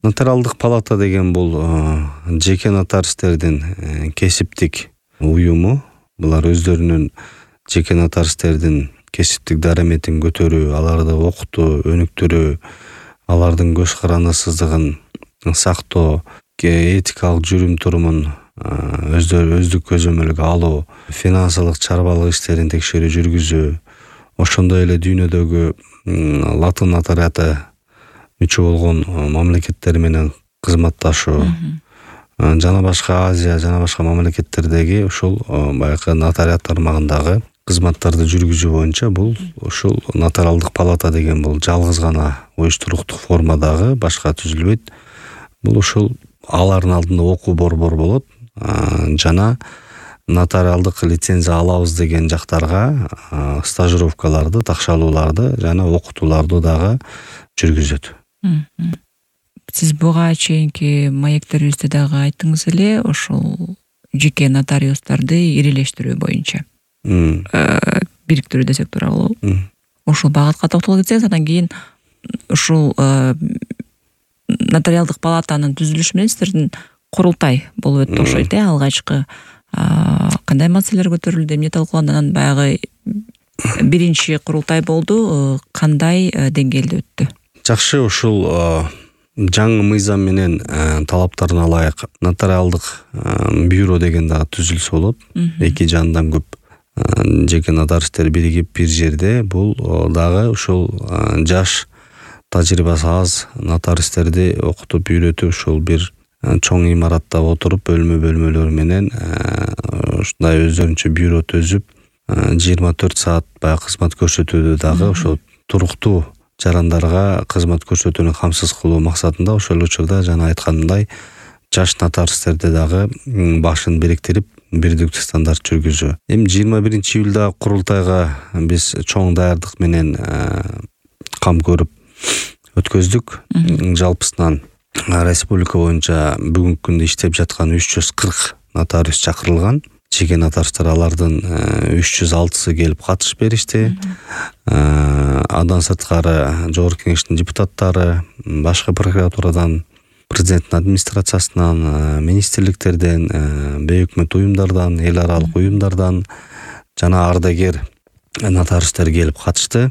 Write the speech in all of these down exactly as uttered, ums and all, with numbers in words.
Нотариалдык палата деген бул жеке нотариустердин кесиптик уюму. Булар өздөрүнүн жеке нотариустердин кесиптик дараметин көтөрүү, аларды окутуу, өнүктүрүү, алардын көз карандысыздыгын сактоо, этикалык жүрүм-турумун өздөрү өздүк көзөмөлгө алуу, финансылык чарбалык иштерин текшерүү жүргүзүү, ошондой эле дүйнөдөгү латын нотариаты мүчө болгон мамлекеттер менен кызматташуу, жана башка Азия жана башка мамлекеттердеги ушул баягы нотариат тармагындагы кызматтарды жүргүзүү боюнча бул ушул нотариалдык палата деген бул жалгыз гана уюштуруктук формадагы, башка түзүлбөйт. Бул ушул алардын алдында окуу борбор болот, жана нотариалдык лицензия алабыз деген жактарга стажировкаларды, такшалууларды жана окутууларды дагы жүргүзөт. Сиз буга чейинки маектерибизде дагы айттыңыз эле, ошол жеке нотариустарды ирилештирүү боюнча бириктирүү десек туура болобу? Ошол багытка токтоло кетсеңиз, андан кийин ушул нотариалдык палатанын түзүлүшү менен сиздердин курултай болуп өттү окшойт, э? Алгачкы кандай маселелер көтөрүлдү, эмне талкууланды? Анан баягы биринчи курултай болду, кандай деңгээлде өттү? Жакшы, ушул жаңы мыйзам менен талаптарына ылайык нотариалдык бюро деген дагы түзүлсө болот. Эки жандан көп жеке нотариустер биригип бир жерде, бул дагы ушул жаш, тажрыйбасы аз нотариустерди окутуп, үйрөтүп, ушул бир чоң имаратта отуруп, бөлмө-бөлмөлөр менен ушундай өздөрүнчө бюро төзүп, жыйырма төрт саат баягы кызмат көрсөтүүдө дагы ошол туруктуу жарандарга кызмат көрсөтүүнү камсыз кылуу максатында ошол учурда жана айтканымдай жаш нотариустерди дагы башын бириктирип, бирдиктүү стандарт жүргүзүү. Эми жыйырма биринчи июлда курултайга биз чоң даярдык менен кам көрүп өткөздүк. Жалпысынан республика боюнча бүгүнкү күндө иштеп жаткан үч жүз кырк нотариус чакырылган. Жеке нотариустар алардын үч жүз алтысы келип катышып беришти. Андан сырткары жогорку кеңештин депутаттары, башка прокуратурадан, президенттин администрациясынан, министрликтерден, бейөкмөт уюмдардан, эл аралык уюмдардан жана ардагер нотариустер келип катышты.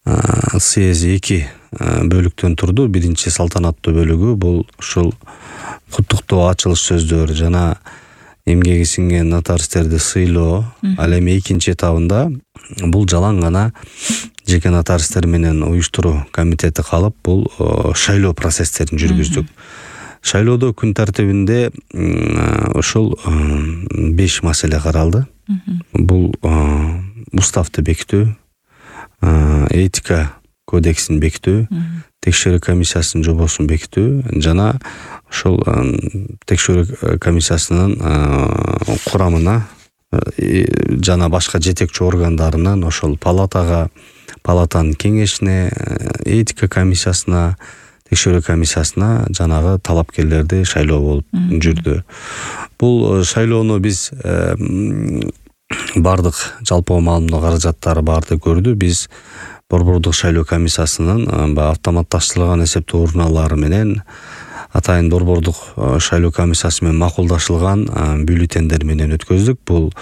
Съезд эки бөлүктөн турду. Биринчи салтанаттуу бөлүгү бул ушул куттуктоо, ачылыш сөздөр жана эмгеги сиңген нотариустерди сыйлоо. Ал эми экинчи этабында бул жалаң гана жеке нотариустер менен уюштуруу комитети калып, бул шайлоо процесстерин жүргүздүк. Шайлоодо күн тартибинде ушул беш маселе каралды. Бул уставды бекитүү, этика кодексин бекитүү, текшерүү комиссиясынын жобосун бекитүү жана ошол текшерүү комиссиясынын курамына жана башка жетекчи органдарынан ошол палатага, палатанын кеңешине, этика комиссиясына, текшерүү комиссиясына жанагы талапкерлерди шайлоо болуп жүрдү. Бул шайлоону биз бардык жалпы маалымдоо каражаттары барды көрдү. Биз борбордук шайлоо комиссиясынын автоматташтырылган эсептөө урналары менен атайын борбордук шайлоо комиссиясы менен макулдашылган бюллетендер менен өткөздүк. Бул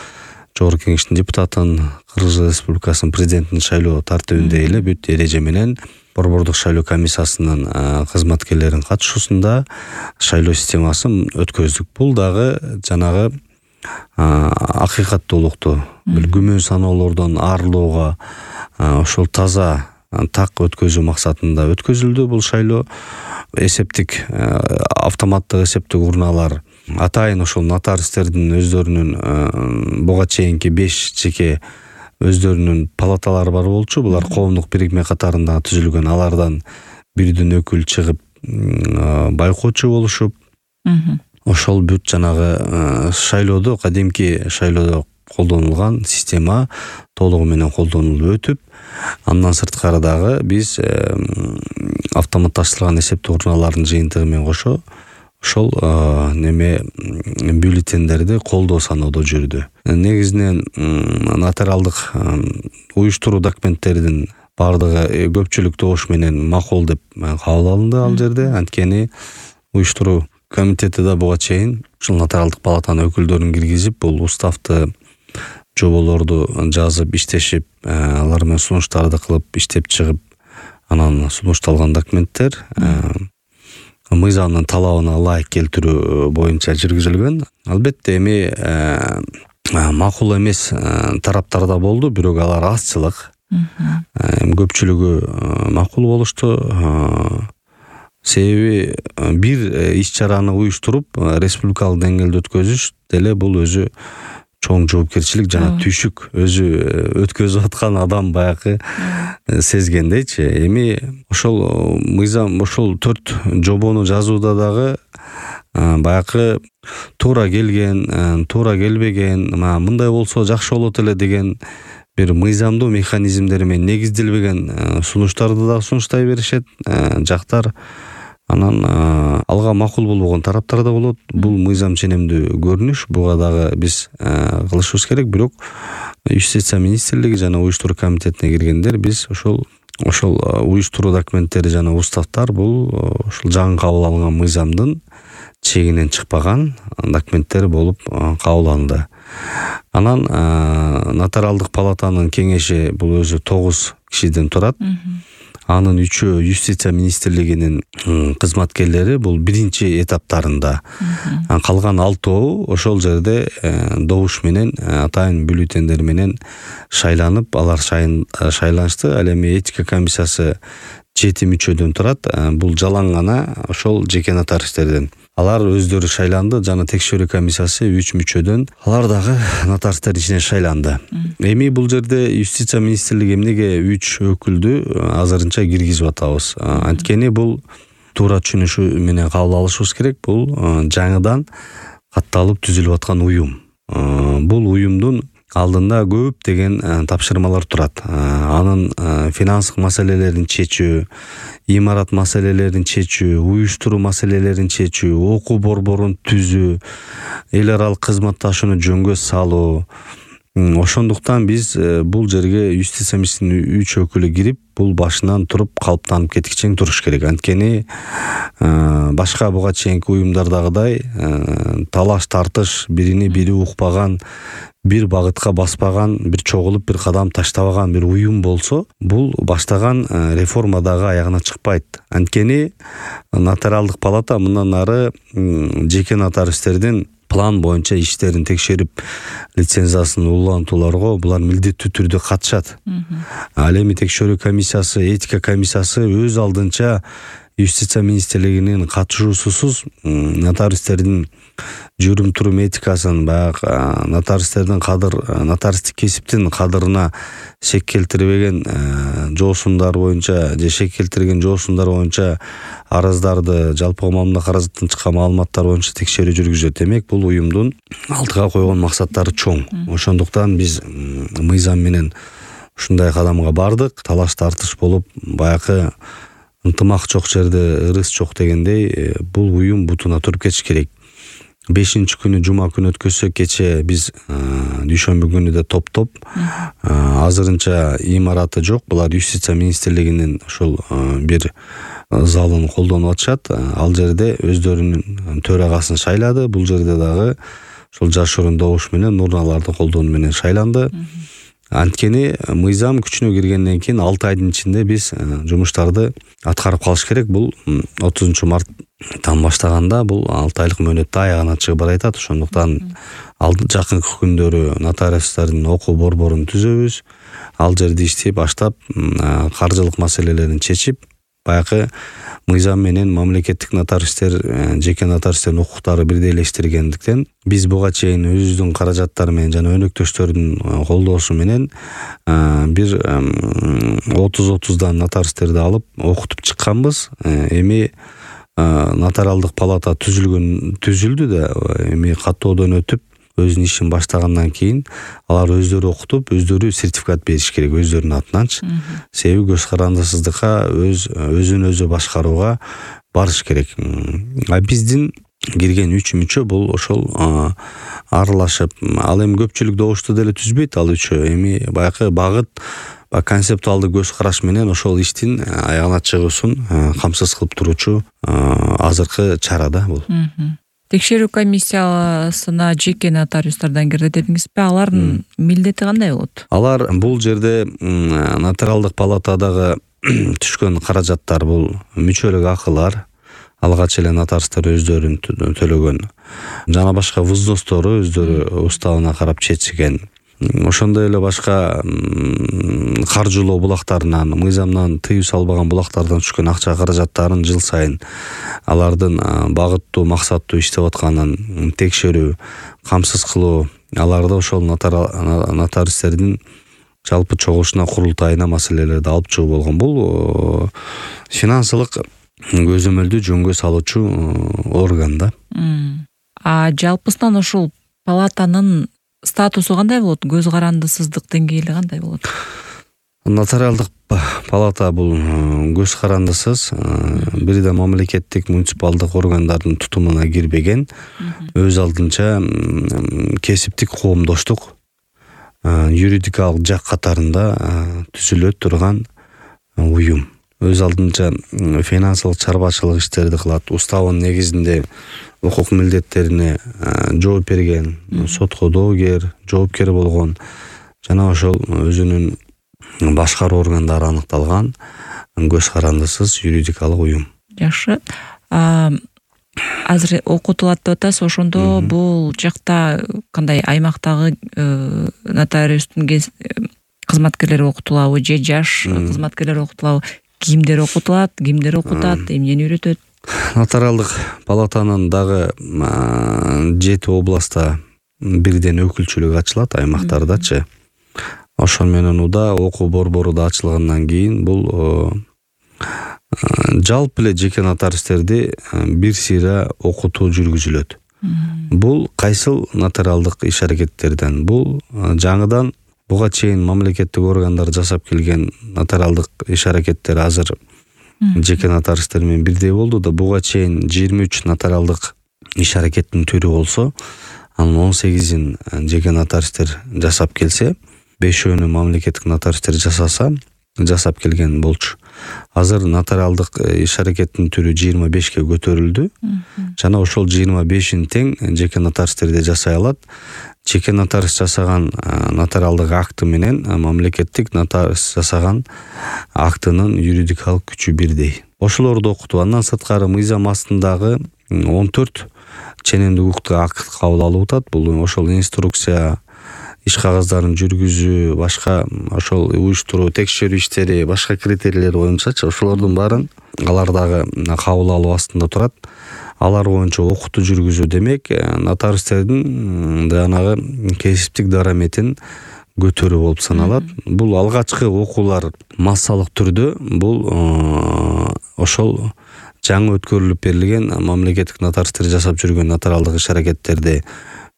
жогорку кеңештин депутатын, Кыргыз Республикасынын президентин шайлоо тартибинде эле бүт эреже менен борбордук шайлоо комиссиясынын кызматкерлеринин катышуусунда шайлоо системасын өткөздүк. Бул дагы жанагы акыйкаттуулукту, бир күмөн саноолордон арылууга, ошол таза, так өткөзүү максатында өткөзүлдү бул шайлоо. Эсептик, автоматтык эсептик урналар атайын ошол нотариустердин өздөрүнүн буга чейинки беш жеке өздөрүнүн палаталары бар болчу. Булар коомдук бирикме катарында түзүлгөн. Алардан бирден өкүл чыгып байкоочу болушуп, ошол бүт жанагы шайлоодо, кадимки шайлоодо колдонулган система толугу менен колдонулуп өтүп, андан сырткары дагы биз автоматташтырылган эсептөө урналардын жыйынтыгы менен кошо ошол неме бюллетендерди колдоо саноодо жүрдү. Негизинен нотариалдык уюштуруу документтеринин бардыгы көпчүлүк добуш менен макул деп кабыл алынды ал жерде. Анткени уюштуруу комитети да буга чейин ушул нотариалдык палатанын өкүлдөрүн киргизип, бул уставты, жоболорду жазып, иштешип, алар менен сунуштарды кылып, иштеп чыгып, анан сунушталган документтер мыйзамдын талабына ылайык келтирүү боюнча жүргүзүлгөн. Албетте эми макул эмес тараптар да болду, бирок алар азчылык. Көпчүлүгү макул болушту. Себеби бир иш-чараны уюштуруп, республикалык деңгээлде өткөзүш деле бул өзү чоң жоопкерчилик жана түйшүк. Өзү өткөзүп аткан адам баягы сезгендейчи. Эми ошол мыйзам, ошол төрт жобону жазууда дагы баягы туура келген, туура келбеген, мындай болсо жакшы болот эле деген бир мыйзамдуу механизмдер менен негизделбеген сунуштарды да сунуштай беришет жактар. Анан алга макул болбогон тараптар да болот. Бул мыйзам ченемдүү көрүнүш. Буга дагы биз кылышыбыз керек. Бирок Юстиция министрлиги жана уюштуруу комитетине киргендер биз ошол ошол уюштуруу документтери жана уставтар бул ошол жаңы кабыл алынган мыйзамдын чегинен чыкпаган документтер болуп кабыл алынды. Анан нотариалдык палатанын кеңеши бул өзү тогуз кишиден турат. Анын үчөө Юстиция министрлигинин кызматкерлери бул биринчи этаптарында. Калган алтоо ошол жерде добуш менен, атайын бюллетендер менен шайланып, алар шайланышты. Ал эми этика комиссиясы жети мүчөдөн турат. Бул жалаң гана ошол жеке нотариустерден. Алар өздөрү шайланды, жана текшерүү комиссиясы үч мүчөдөн. Алар дагы нотариустер ичинен шайланды. Эми бул жерде Юстиция министрлиги эмнеге үч өкүлдү азырынча киргизип атабыз? Анткени бул туура түшүнүшү менен кабыл алышыбыз керек. Бул жаңыдан катталып түзүлүп аткан уюм. Бул уюмдун алдында көп деген тапшырмалар турат. Анын финанстык маселелерин чечүү, имарат маселелерин чечүү, уюштуруу маселелерин чечүү, окуу борборун түзүү, эл аралык кызматташууну жөнгө салуу. Ошондуктан биз бул жерге Юстиция министринин үч өкүлү кирип, бул башынан туруп калыптанып кеткичең туруш керек. Анткени башка буга чейинки уюмдардагыдай талаш тартыш, биrini бири укпаган, бир багытка баспаган, бир чогулуп бир кадам таштабаган бир уюм болсо, бул баштаган реформадагы аягына чыкпайт. Анткени нотариалдык палата мындан ары жеке нотариустердин план боюнча иштерин текшерип, лицензиясын улантууларга булар милдеттүү түрдө катышат. Ал эми текшерүү комиссиясы, этика комиссиясы өз алдынча Юстиция министрлигинин катышуусусуз нотариустердин жүрүм-турум этикасын, баягы нотариустердин кадыр, нотариустик кесиптин кадырына шек келтирбеген жоосундар боюнча, же шек келтирген жоосундар боюнча арыздарды, жалпы коомдук каражаттан чыккан маалыматтар боюнча текшерүү жүргүзөт. Демек, бул уюмдун алдыга койгон максаттары чоң. Ошондуктан биз мыйзам менен ушундай кадамга бардык. Талаш тартыш болуп, баягы ынтымак жок жерде ырыс жок дегендей, бул уюм бутуна туруп кетиш керек. бешинчи күнү жума күнү өткөзсөк, кече биз дүйшөмбү күнү да топтоп, азырынча имараты жок. Булар Юстиция министрлигинин ошол бир залын колдонуп атышат. Ал жерде өздөрүнүн төрагасын шайлады. Бул жерде дагы ошол жашыруун добуш менен, урналарды колдонуу менен шайланды. Анткени мыйзам күчүнө киргенден кийин алты айдын ичинде биз жумуштарды аткарып калыш керек. Бул отузунчу марттан баштаганда бул алты айлык мөөнөттө аягына чыгып баратат. Ошондуктан жакынкы күндөрү нотариустардын окуу борборун түзөбүз. Ал жерде иштеп баштап, каржылык маселелерин чечип, баягы мыйзам менен мамлекеттик нотариустер, жеке нотариустердин укуктары бирдейлештиргендиктен биз буга чейин өзүбүздүн каражаттар менен жана өнөктөштөрдүн колдоосу менен бир отуз отуздан нотариустерди алып окутуп чыкканбыз. Эми нотариалдык палата түзүлгөн түзүлдү да, эми каттоодон өтүп өзүнүн ишин баштагандан кийин алар өздөрү окутуп, өздөрү сертификат бериш керек өздөрүнүн атынанчы. Себеби көз карандысыздыкка, өз өзүн өзү башкарууга барыш керек. А биздин кирген үч мүчө бул ошол аралашып, ал эми көпчүлүк добушту деле түзбөйт ал үчөө. Эми баягы багыт концептуалдуу көз караш менен ошол иштин аягына чыгуусун камсыз кылып туруучу азыркы чара да бул. Текшерүү комиссиясына жеке нотариустардан кирди дедиңизби? Алардын милдети кандай болот? Алар бул жерде нотариалдык палатадагы түшкөн каражаттар бул мүчөлүк акылар, алгач эле нотариустар өздөрүн төлөгөн жана башка взностору өздөрү уставына карап чечилген. Ошондой эле башка каржылоо булактарынан, мыйзамдан тыюу салбаган булактардан түшкөн акча каражаттарын жыл сайын алардын багыттуу, максаттуу иштеп атканын текшерүү, камсыз кылуу, аларды ошол нотариустердин жалпы чогулушуна, курултайына маселелерди алып чыгуу болгон. Бул финансылык көзөмөлдү жөнгө салуучу орган да. А жалпысынан ошол палатанын статусу кандай болот? Көз карандысыздык деңгээли кандай болот? Нотариалдык палата бул көз карандысыз, бир да мамлекеттик муниципалдык органдардын тутумуна кирбеген, өз алдынча кесиптик коомдоштук юридикалык жак катарында түзүлө турган уюм. Өз алдынча финансылык чарбачылык иштерди кылат, уставынын негизинде укук милдеттерине жооп берген, сотко доогер, жоопкер болгон жана ошол өзүнүн башкаруу органдары аныкталган көз карандысыз юридикалык уюм. Жакшы. Азыр окутулат деп атасыз, ошондо бул жакта кандай аймактагы нотариустун кызматкерлери окутулабы же жаш кызматкерлер окутулабы? Кимдер окутулат, кимдер окутат, эмнени үйрөтөт? Нотариалдык палатанын дагы жети областта бирден өкүлчүлүк ачылат, аймактардачы. Ошол менен уда окуу борбору да ачылгандан кийин бул жалпы эле жеке нотариустерди бир сыйра окутуу жүргүзүлөт. Бул кайсыл нотариалдык иш аракеттерден? Бул жаңыдан буга чейин мамлекеттик органдар жасап келген нотариалдык иш аракеттер азыр жеке нотариустер менен бирдей болду да, буга чейин жыйырма үч нотариалдык иш аракеттин түрү болсо, анын он сегизин жеке нотариустер жасап келсе, бешөөнү мамлекеттик нотариустер жасаса, жасап келген болчу. Азыр нотариалдык иш аракеттин түрү жыйырма бешке көтөрүлдү. Жана ошол жыйырма бешин тең жеке нотариустер да жасай алат. Жеке нотариус жасаган нотариалдык акты менен мамлекеттик нотариус жасаган актынын юридикалык күчү бирдей. Ошолорду окутуу. Андан сырткары мыйзам астындагы он төрт ченемдик укуктук акт кабыл алып атат. Бул ошол инструкция, иш кагаздарын жүргүзүү, башка ошол уюштуруу, текшерүү иштери, башка критерийлер боюнчачы ошолордун баарын алар дагы кабыл алуу астында турат. Алар боюнча окутуу жүргүзүү демек нотариустердин жанагы кесиптик дараметин көтөрүү болуп саналат. Бул алгачкы окуулар массалык түрдө бул ошол жаңы өткөрүлүп берилген мамлекеттик нотариустер жасап жүргөн нотариалдык иш аракеттерди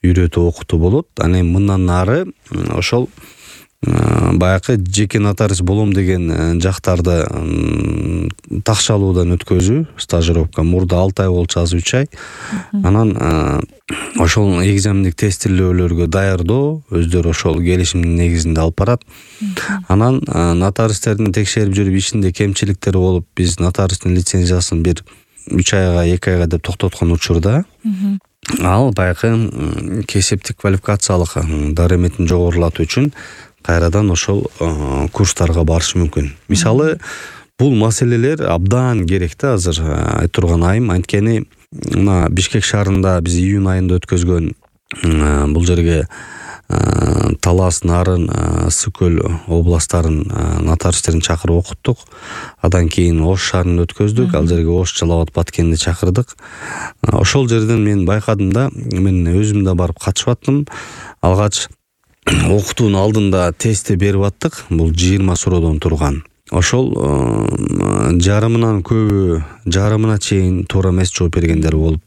үйрөтүү окутуу болот. Аны мындан нары ошол баягы жеке нотариус болом деген жактарды такшалуудан өткөзүү, стажировка мурда алты ай болчу, азыр үч ай. Анан ошол экзамендик тестилөөлөргө даярдоо өздөрү ошол келишимдин негизинде алып барат. Анан нотариустердин текшерип жүрүп ишинде кемчиликтери болуп, биз нотариустун лицензиясын бир үч айга, эки айга деп токтоткон учурда ал баягы кесиптик квалификациялык дараметин жогорулатуу үчүн кайрадан ошол курстарга барыш мүмкүн. Мисалы, бул маселелер абдан керек да азыр айтурган айым. Анткени мына Бишкек шаарында биз июнь айында өткөзгөн бул жерге Талас, Нарын, Ысык-Көл областарын нотариустерин чакырып окуттук. Адан кийин Ош шаарында өткөздүк. Ал жерге Ош, Жалал Абад, Баткенди чакырдык. Ошол жерден мен байкадым да, мен өзүм да барып катышып аттым. Алгач окутуунун алдында тестти берип аттык. Бул жыйырма суроодон турган. Ошол жарымынан көбү, жарымына чейин туура эмес жооп бергендер болуп.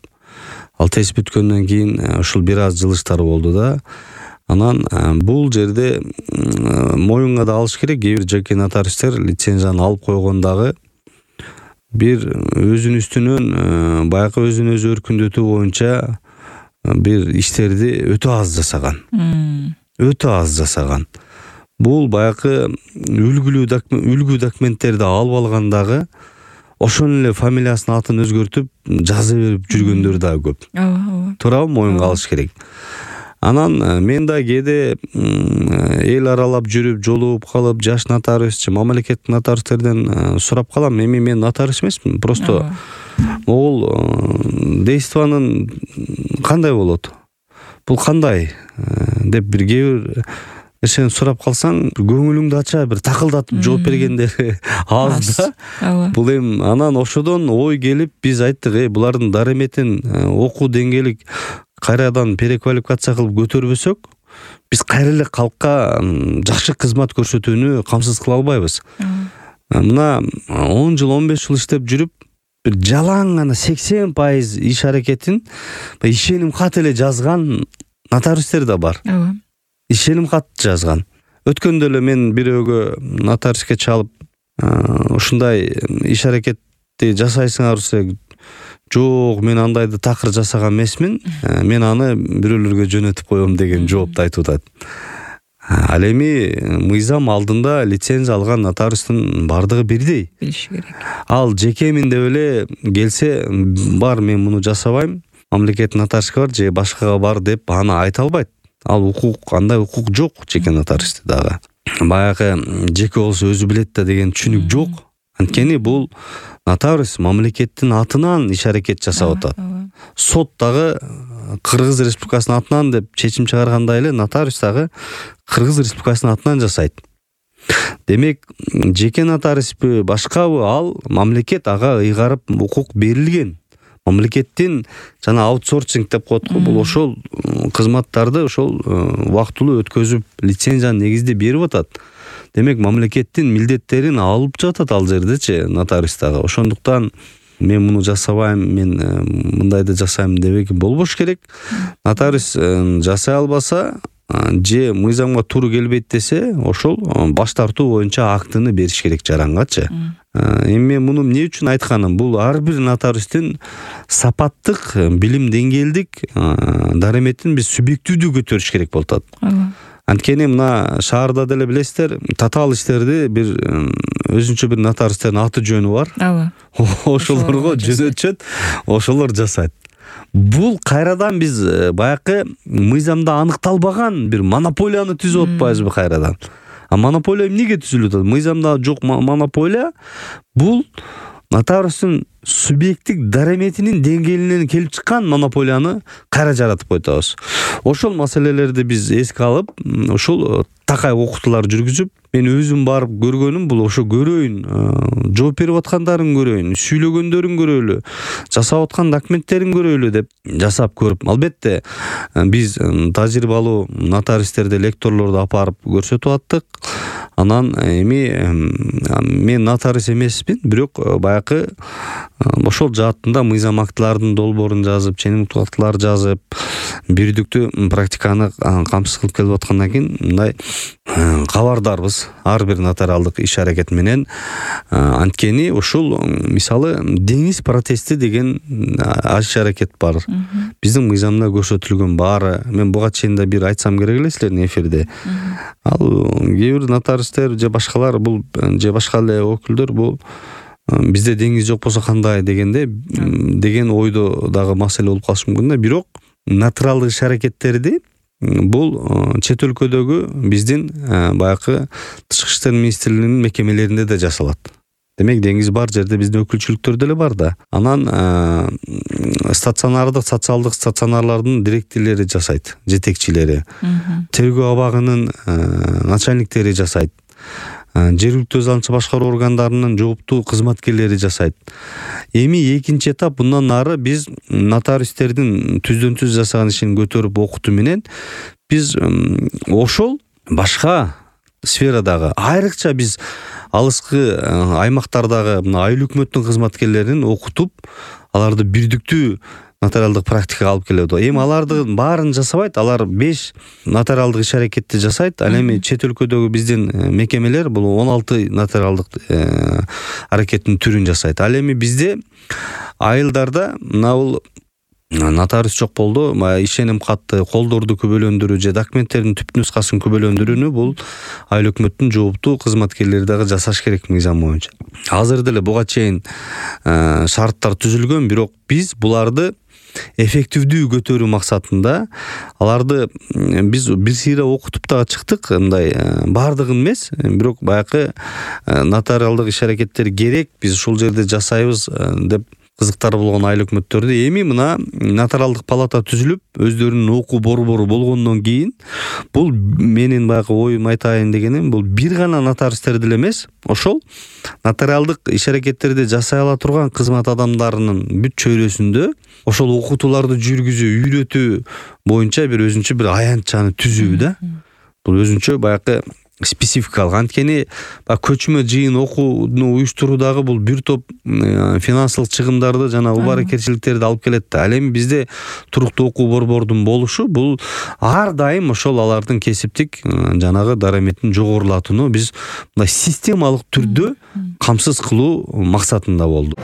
Ал тест бүткөндөн кийин ошол бир аз жылыштар болду да. Анан бул жерде моюнга да алыш керек. Кээ бир жеке нотариустер лицензияны алып койгондагы бир өзүнүн үстүнөн баягы өзүн өзү өркүндөтүү боюнча бир иштерди өтө аз жасаган. Өтө аз жасаган. бул баягы үлгүлүү үлгү документтерди алып алгандагы ошон эле фамилиясын атын өзгөртүп жаза берип жүргөндөр дагы көп. Ооба, ооба. Туурабы, моюнга алыш керек. Анан мен да кээде эл аралап жүрүп, жолугуп калып, жаш нотариус же мамлекеттик нотариустерден сурап калам. Эми мен нотариус эмесмин, просто могул действиянын кандай болот? Бул кандай деп бир кээ бир нерсени сурап калсаң, көңүлүңдү ача бир такылдатып жооп бергендери аз да. Бул эми анан ошодон ой келип биз айттык, э булардын дареметин окуу деңгээлик кайрадан переквалификация кылып көтөрбөсөк, биз кайра эле калкка жакшы кызмат көрсөтүүнү камсыз кыла албайбыз. Мына он жыл, он беш жыл иштеп жүрүп, бир жалаң гана сексен пайыз иш аракетин ишеним кат эле жазган нотариустер да бар. Ооба. Ишеним кат жазган. Өткөндө эле мен бирөөгө нотариуске чалып, ушундай иш аракетти жасайсыңарбы? Жок, мен андайды такыр жасаган эмесмин. Мен аны бирөөлөргө жөнөтүп коем деген жоопту айтып атат. Ал эми мыйзам алдында лицензия алган нотариустун бардыгы бирдей. Билиш керек. Ал жекемин деп эле келсе, бар мен муну жасабайм, мамлекеттик нотариуске бар же башкага бар деп аны айта албайт. Ал укук, андай укук жок жеке нотариусте дагы. Баягы жеке болсо өзү билет да деген түшүнүк жок. Анткени бул нотариус мамлекеттин атынан иш аракет жасап атат. Сот дагы Кыргыз Республикасынын атынан деп чечим чыгаргандай эле нотариус дагы Кыргыз Республикасынын атынан жасайт. Демек, жеке нотариуспу, башкабы, ал мамлекет ага ыйгарып укук берилген. Мамлекеттин жана аутсорсинг деп коет го, бул ошол кызматтарды ошол убактылуу өткөзүп лицензияны негизде берип атат. Демек, мамлекеттин милдеттерин алып жатат ал жердечи нотариус дагы. Ошондуктан мен муну жасабайм, мен мындайды жасайм дебек болбош керек. Нотариус жасай албаса же мыйзамга туура келбейт десе, ошол баш тартуу боюнча актыны бериш керек жарангачы. Эми мен муну эмне үчүн айтканым? Бул ар бир нотариустун сапаттык, билим деңгээлдик дареметин биз субъективдүү көтөрүш керек болуп атат. Анткени мына шаарда деле билесиздер, татаал иштерди бир өзүнчө бир нотариустердин аты жөнү бар. Ооба. Ошолорго жөнөтүшөт, ошолор жасайт. Бул кайрадан биз баягы мыйзамда аныкталбаган бир монополияны түзүп атпайбызбы кайрадан? А монополия эмнеге түзүлүп атат? Мыйзамда жок монополия. Бул нотариустун субъекттик дареметинин деңгээлинен келип чыккан монополияны кайра жаратып койтабыз. Ошол маселелерди биз эске алып, ошол такай окутуулар жүргүзүп, мен өзүм барып көргөнүм бул ошо көрөйүн, жооп берип аткандарын көрөйүн, сүйлөгөндөрүн көрөлү, жасап аткан документтерин көрөлү деп жасап көрүп. Албетте биз тажрыйбалуу нотариустерди, лекторлорду апарып көрсөтүп аттык. Анан эми мен нотариус эмесмин, бирок баягы ошол жаатында мыйзам актылардын долбоорун жазып, ченемдик актылар жазып, бирдиктүү практиканы камсыз кылып келип аткандан кийин мындай кабардарбыз ар бир нотариалдык иш аракет менен. Анткени ушул мисалы деңиз протести деген иш аракет бар. Биздин мыйзамда көрсөтүлгөн баары. Мен буга чейин да бир айтсам керек эле силердин эфирде. Ал кээ бир нотариустер же башкалар бул же башка эле өкүлдөр бул бизде деңиз жок болсо кандай дегенде деген ойдо дагы маселе болуп калышы мүмкүн да. Бирок нотариалдык иш аракеттерди бул чет өлкөдөгү биздин баягы тышкы иштер министрлигинин мекемелеринде да жасалат. Демек, деңиз бар жерде биздин өкүлчүлүктөр деле бар да. Анан стационардык, социалдык стационарлардын директорлори жасайт, жетекчилери. Тергөө абагынын начальниктери жасайт. Жергиликтүү азаматча башкаруу органдарынын жооптуу кызматкерлери жасайт. Эми экинчи этап, bundan нары биз нотариустердин түздөн түз жасаган ишин көтөрүп окутуу менен биз ошол башка сферадагы, айрыкча биз алыскы аймактардагы мына айыл өкмөттүн кызматкерлерин окутуп, аларды бирдиктүү нотариалдык практикага алып келет. Эми алардын баарын жасабайт, алар беш нотариалдык иш аракетти жасайт. Ал эми чет өлкөдөгү биздин мекемелер бул он алты нотариалдык аракеттин түрүн жасайт. Ал эми бизде айылдарда мына бул нотариус жок болду. Баягы ишеним катты, колдорду күбөлөндүрүү же документтердин түп нускасын күбөлөндүрүүнү бул айыл өкмөттүн жооптуу кызматкерлери дагы жасаш керек мыйзам боюнча. Азыр деле буга чейин шарттар түзүлгөн, бирок биз буларды эффективдүү көтөрүү максатында аларды биз бир сыйра окутуп дагы чыктык. Мындай баардыгын эмес, бирок баягы нотариалдык иш-аракеттер керек, биз ушул жерде жасайбыз деп кызыктары болгон айыл өкмөттөрдү эми мына нотариалдык палата түзүлүп, өздөрүнүн окуу борбору болгондон кийин бул менин баягы оюм айтайын дегеним, бул бир гана нотариустер деле эмес, ошол нотариалдык иш-аракеттерди жасай ала турган кызмат адамдарынын бүт чөйрөсүндө ошол окутууларды жүргүзүү, үйрөтүү боюнча бир өзүнчө бир аянтчаны түзүү да. Бул өзүнчө баягы спецификалык. Анткени көчмө жыйын окууну уюштуруудагы бул бир топ финансылык чыгымдарды жана убаракерчиликтерди алып келет да. Ал эми бизде туруктуу окуу борбордун болушу бул ар дайым ошол алардын кесиптик жанагы дараметин жогорулатууну биз мындай системалык түрдө камсыз кылуу максатында болду.